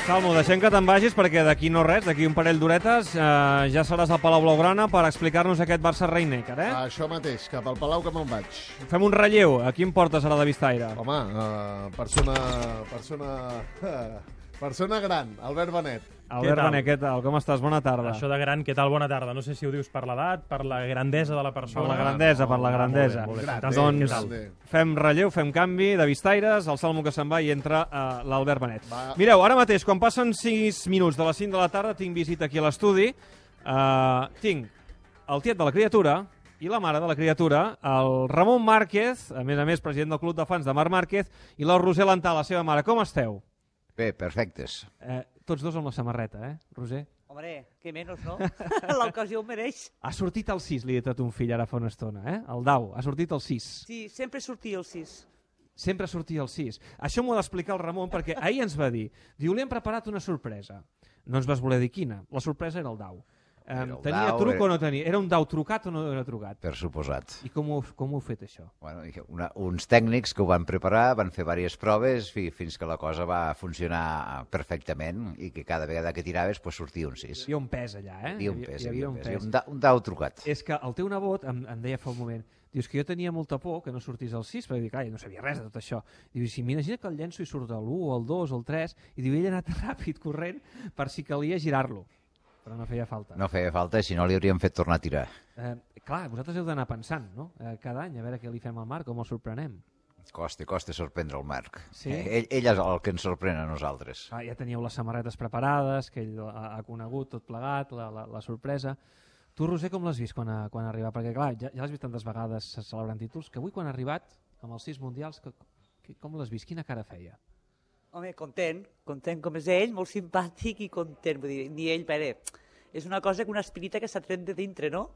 Salmo, deixem que te'n vagis perquè d'aquí no res, d'aquí un parell d'horetes ja seràs al Palau Blaugrana per explicar-nos aquest Barça-Rhein-Neckar, eh? Això mateix, cap al Palau que me'n vaig. Fem un relleu. A qui em portes ara de Vistaire? Home, persona gran, Albert Benet. Albert Benet, què tal? Com estàs? Bona tarda. Això de gran, què tal? Bona tarda. No sé si ho dius per l'edat, per la grandesa de la persona... Per la grandesa, per la grandesa. Molt bé. Doncs Grande. fem relleu, fem canvi de Vistaires, el Salmo que se'n va i entra l'Albert Benet. Mireu, ara mateix, quan passen 6 minuts de les 5 de la tarda, tinc visita aquí a l'estudi. Tinc el tiet de la criatura i la mare de la criatura, el Ramon Márquez, a més, president del Club de Fans de Marc Márquez, i la Roser Lantà, la seva mare. Com esteu? Bé, perfectes. Tots dos amb la samarreta, Roser? Hombre, que menys, no? L'ocasió ho mereix. Ha sortit el 6, li he dit a ton fill ara fa una estona, El Dau, ha sortit el 6. Sí, sempre sortia el 6. Sempre sortia el 6. Això m'ho ha d'explicar el Ramon, perquè ahir ens va dir, diu, li hem preparat una sorpresa. No ens vas voler dir quina. La sorpresa era el Dau. Tenia truc o no tenia? Era un dau trucat o no era trucat? Per suposat. I com ho heu fet, això? Bueno, uns tècnics que ho van preparar, van fer diverses proves fins que la cosa va funcionar perfectament i que cada vegada que tiraves pues, sortia un 6. Hi havia un pes allà, Hi havia un pes. Un dau trucat. És que el teu nebot em deia fa un moment, dius que jo tenia molta por que no sortís el 6, perquè dic, ai, no sabia res de tot això. Diu, si m'imagina que el llenço i surt l'1, el 2, el 3, i diu, ell ha anat ràpid, corrent, per si calia girar-lo. Però no feia falta. No feia falta, si no li hauríem fet tornar a tirar. Clar, vosaltres heu d'anar pensant, no? Cada any, a veure què li fem al Marc, com el sorprenem. Costa sorprendre el Marc. Sí? Ell és el que ens sorprèn a nosaltres. Ja teníeu les samarretes preparades, que ell ha conegut tot plegat, la sorpresa. Tu, Roser, com l'has vist quan ha arribat? Perquè, clar, ja l'has vist tantes vegades celebrant títols, que avui quan ha arribat, amb els 6 mundials, com l'has vist? Quina cara feia? Home, content com és ell, molt simpàtic i content. Vull dir, ni ell, és una cosa que una espirita que s'ha tret de dintre, no?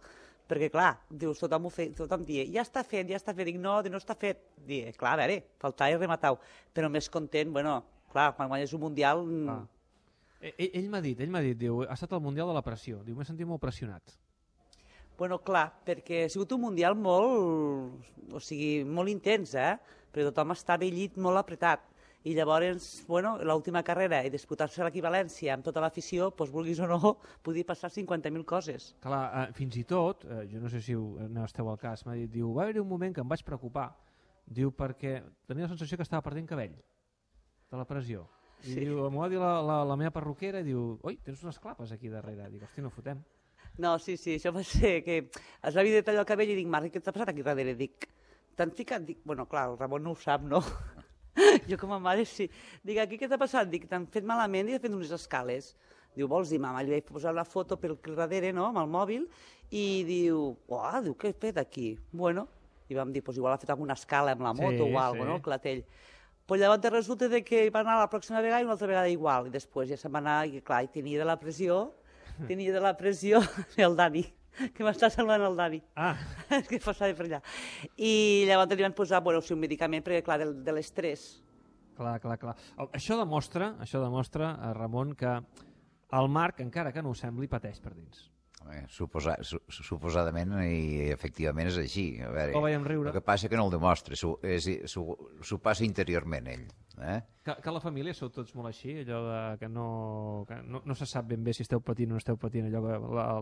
Perquè, clar, dius, tothom dia, ja està fet, dic, no està fet. Dic, clar, a veure, faltava i rematar-ho. Però més content, bueno, clar, quan guanyes un mundial... Ell m'ha dit, diu, ha estat el mundial de la pressió. Diu, m'he sentit molt pressionat. Bueno, clar, perquè ha sigut un mundial molt intens, perquè tothom està vellit molt apretat. I llavors, bueno, l'última carrera i disputar-se l'equivalència amb tota l'afició, doncs vulguis o no, podia passar 50.000 coses. Clar, fins i tot, jo no sé si esteu al cas, m'ha dit, diu, va haver-hi un moment que em vaig preocupar, diu, perquè tenia la sensació que estava perdent cabell, de la pressió. I diu, m'ho va dir la meva perruquera, i diu, oi, tens unes clapes aquí darrere. Dic, hosti, no fotem. No, sí, això va ser que es va dir tallar el cabell i dic, Marc, què t'ha passat aquí darrere? Dic, t'han ficat? Dic, bueno, clar, el Ramon no ho sap, no? Jo com a mare sí. Dic, aquí què t'ha passat? Dic, t'han fet malament i he fet unes escales. Diu, vols dir, mama? Li vaig posar la foto pel darrere, no?, amb el mòbil, i diu, què he fet aquí? Bueno, i vam dir, igual ha fet alguna escala amb la moto o alguna cosa, no?, el clatell. Però llavors resulta que va anar la pròxima vegada i una altra vegada igual, i després ja se'n va anar, i clar, tenia de la pressió el Dani, que m'està salvant el Dani. És que passava per allà. I llavors li van posar un medicament, perquè clar, de l'estrès. Clar. Això demostra, Ramon, que el Marc, encara que no ho sembli, pateix per dins. Suposadament i efectivament és així. A veure, ho veiem riure. El que passa que no el demostra, s'ho passa interiorment ell. Que la família sou tots molt així, allò que no se sap ben bé si esteu patint o no esteu patint, allò que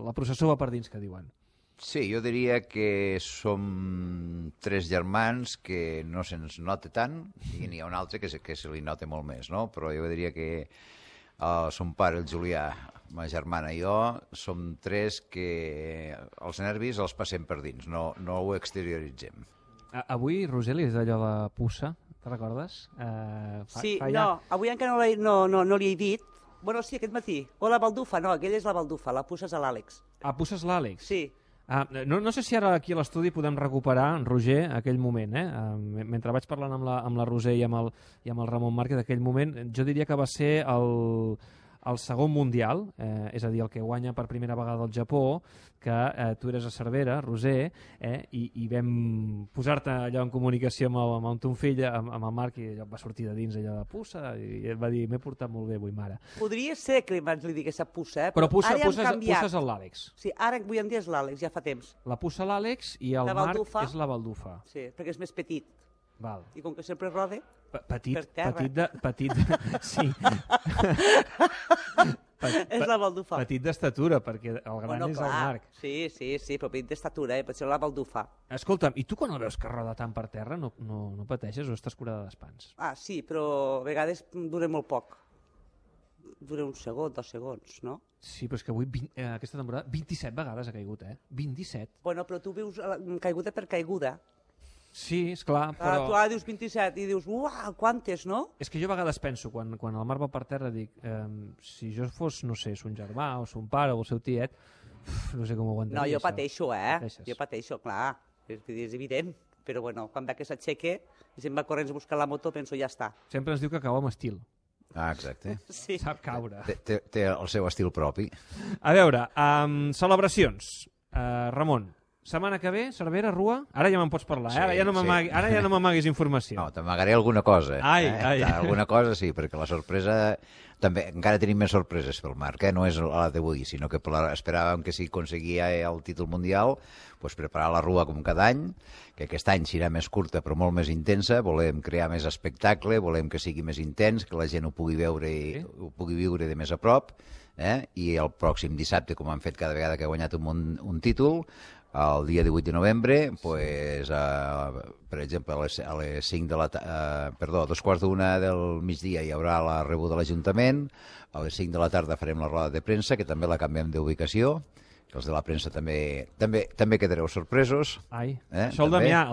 la processó va per dins, que diuen. Sí, jo diria que som 3 germans que no se'ns nota tant i n'hi ha un altre que se li nota molt més, no? Però jo diria que son pare, el Julià, ma germana i jo, som 3 que els nervis els passem per dins, no ho exterioritzem. Avui, Roseli, és d'allò de puça, te recordes? Sí, no, avui encara no li he dit. Bueno, sí, aquest matí. O la baldufa, no, aquella és la baldufa, la puça és l'Àlex. Puça és l'Àlex? Sí. No sé si ara aquí a l'estudi podem recuperar, Roger, aquell moment, mentre vaig parlant amb la Roser i amb el Ramon Márquez, aquell moment, jo diria que va ser el segon mundial, és a dir, el que guanya per primera vegada el Japó, que tu eres a Cervera, Roser, i vam posar-te allò en comunicació amb ton fill, amb el Marc, i allò va sortir de dins allò de puça, i ell va dir, m'he portat molt bé avui, mare. Podria ser que abans li digués a puça, però puça és l'Àlex. Sí, ara avui en dia és l'Àlex, ja fa temps. La puça l'Àlex i el Marc és la baldufa. Sí, perquè és més petit. Val. I com que sempre rode, Petit, per terra. petit, sí. és la baldufa. Petit d'estatura, perquè el gran és el Marc. Sí, però petit d'estatura, potser la baldufa. Escolta'm, i tu quan el veus que roda tant per terra no pateixes o estàs curada d'espants? Ah, sí, però a vegades dura molt poc. Dura un segon, 2 segons, no? Sí, però és que avui, aquesta temporada, 27 vegades ha caigut, 27. Bueno, però tu veus caiguda per caiguda. Sí, esclar, però... Tu ara dius 27 i dius, quantes, no? És que jo a vegades penso, quan el Marc va per terra, dic, si jo fos, no sé, son germà o son pare o el seu tiet, no sé com ho aguantaria. No, jo pateixo, Pateixes. Jo pateixo, clar. És evident. Però bueno, quan ve que s'aixeque i se'n va corrents a buscar la moto, penso, ja està. Sempre ens diu que cau amb estil. Ah, exacte. Sí. Sap caure. Té el seu estil propi. A veure, celebracions. Ramon, setmana que ve, Cervera, Rua? Ara ja me'n pots parlar, Sí, ara ja no m'amaguis informació. No, t'amagaré alguna cosa. Ai. Alguna cosa sí, perquè la sorpresa... També, encara tenim més sorpreses pel Marc, no és la d'avui, sinó que esperàvem que si aconseguia el títol mundial, pues preparar la Rua com cada any, que aquest any serà més curta però molt més intensa, volem crear més espectacle, volem que sigui més intens, que la gent ho pugui veure i ho pugui viure de més a prop, i el pròxim dissabte, com han fet cada vegada que ha guanyat un títol, el dia 18 de novembre, pues, per exemple, a les 5 de la a 2:15 del migdia hi haurà la rebuda de l'Ajuntament, a les 5 de la tarda farem la roda de premsa, que també la canviem d'ubicació, que els de la premsa també quedareu sorpresos. Ai, el Xol Damià,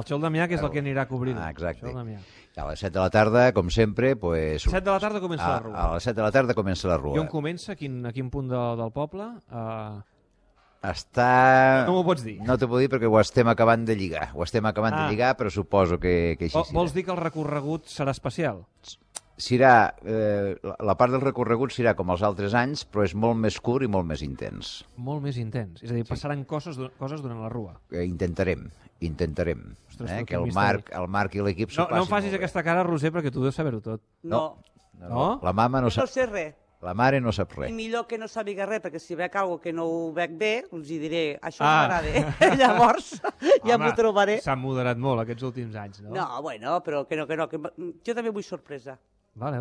que és el que anirà a cobrir-ho. Exacte. I a les 7 de la tarda, com sempre... Pues, 7 de la tarda comença la Rua. A les 7 de la tarda comença la Rua. I on comença? A quin punt del poble? No m'ho pots dir. No t'ho puc dir perquè ho estem acabant de lligar. De lligar, però suposo que així serà. Vols dir que el recorregut serà especial? Serà, la part del recorregut serà com els altres anys, però és molt més curt i molt més intens. Molt més intens. És a dir, passaran coses durant la Rua. Intentarem. Ostres, que el Marc i l'equip s'ho passin. No em facis aquesta cara, Roser, perquè tu deus saber-ho tot. No. La mama no sap. No sé res. La mare no sap res. I millor que no sàpiga res, perquè si veig alguna que no ho veig bé, els hi diré, això m'agrada. Llavors, ja m'ho trobaré. S'han moderat molt aquests últims anys, no? No, bueno, però que no. Jo també vull sorpresa. Vale.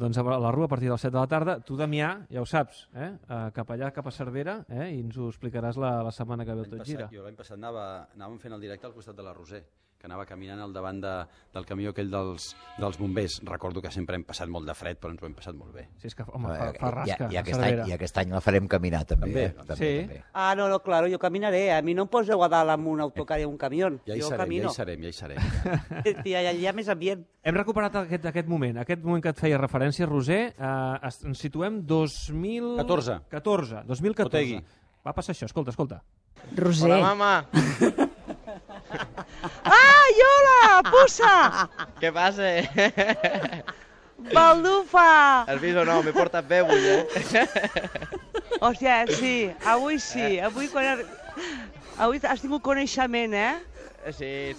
Doncs a la Rua a partir de les 7 de la tarda. Tu, Damià, ja ho saps, cap allà, cap a Cervera, i ens ho explicaràs la setmana que ve el Tot Gira. Jo l'any passat anàvem fent el directe al costat de la Roser, que anava caminant al davant del camió aquell dels bombers. Recordo que sempre hem passat molt de fred, però ens ho hem passat molt bé. Sí, és que, home, fa rasca. I aquest any la farem caminar, també. Sí. Ah, no, claro, jo caminaré. A mi no em poseu a dalt amb un autocar i un camió. Ja hi serem. Ja hi ha més ambient. Hem recuperat aquest moment que et feia referència, Roser. Ens situem 2014. Otegui. Va passar això, escolta. Roser. Hola, mama. ¡Ay, hola, puça! Què passa? Baldufa! Has vist o no? M'he portat bé avui, Hòstia, sí, avui sí. Avui has tingut coneixement, Sí.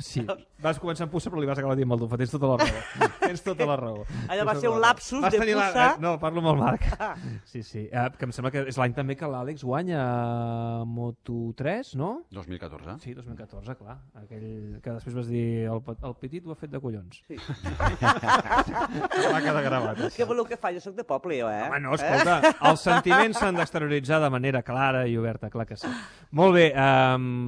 Sí, vas començar amb puça però li vas acabar dient Baldufa, tens tota la raó. Allò va ser un lapsus de puça. No, parlo amb el Marc. Sí, que em sembla que és l'any també que l'Àlex guanya Moto3, no? 2014. Sí, 2014, clar. Aquell que després vas dir el petit ho ha fet de collons. Sí. Va quedar gravat. Què voleu que faci? Jo soc de poble, jo, Home, no, escolta, els sentiments s'han d'exterioritzar de manera clara i oberta, clar que sí. Molt bé,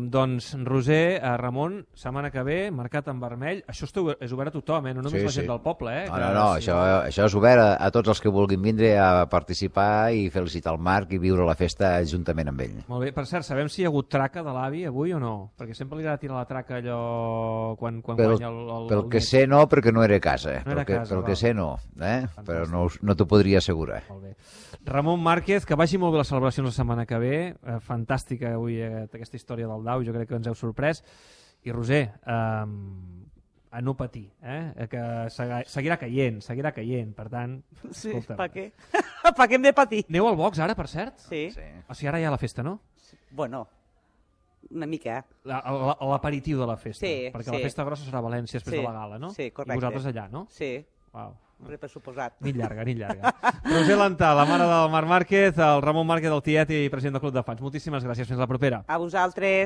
doncs Roser, Ramon, setmana que ve, marcat en vermell. Això és obert a tothom, no només la gent del poble. No, això és obert a tots els que vulguin vindre a participar i felicitar el Marc i viure la festa juntament amb ell. Molt bé, per cert, sabem si hi ha hagut traca de l'avi avui o no? Perquè sempre li agrada tirar la traca allò quan guanya el Pel que sé no, perquè no era a casa. Pel que sé no, però no t'ho podria assegurar. Molt bé. Ramon Márquez, que vagi molt bé les celebracions la setmana que ve. Fantàstica avui aquesta història del Dau, jo crec que ens heu sorprès. I Roser, a no patir, que seguirà caient, per tant... Sí, per què? Per què hem de patir? Aneu al box ara, per cert? Sí. O sigui, ara hi ha la festa, no? Bueno, una mica. L'aperitiu de la festa. Sí, perquè la festa grossa serà a València després de la gala, no? Sí, correcte. I vosaltres allà, no? Sí. Uau. Per suposat. Nit llarga. Roser Lantà, la mare del Marc Márquez, el Ramon Márquez del tiet i president del Club de Fans. Moltíssimes gràcies. Fins la propera. A vosaltres.